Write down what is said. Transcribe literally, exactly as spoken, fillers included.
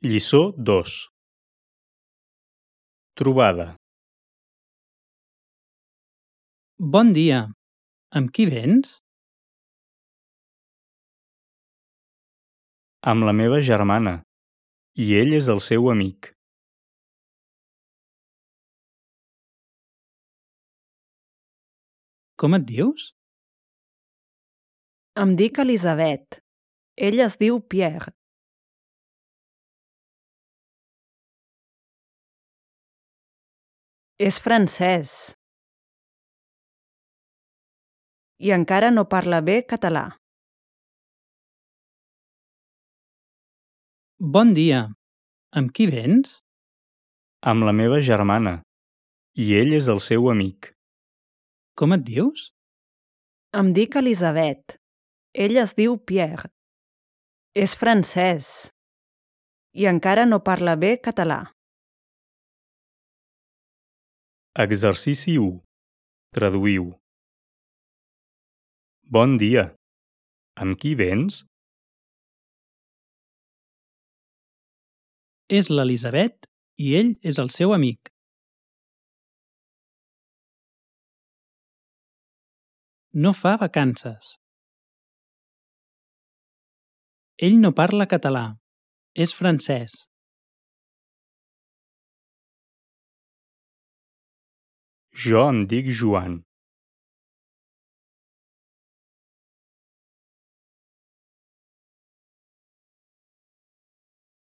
Lliçó dos. Trobada. Bon dia. Amb qui vens? Amb la meva germana, i ell és el seu amic. Com et dius? Em dic Elisabet. Ell es diu Pierre. És francès. I encara no parla bé català. Bon dia. Amb qui vens? Amb la meva germana, i ell és el seu amic. Com et dius? Em dic Elisabet. Ell es diu Pierre. És francès. I encara no parla bé català. Exercici u. Traduïu. Bon dia. Amb qui vens? És l'Elisabet i ell és el seu amic. No fa vacances. Ell no parla català. És francès. Jo em dic Joan.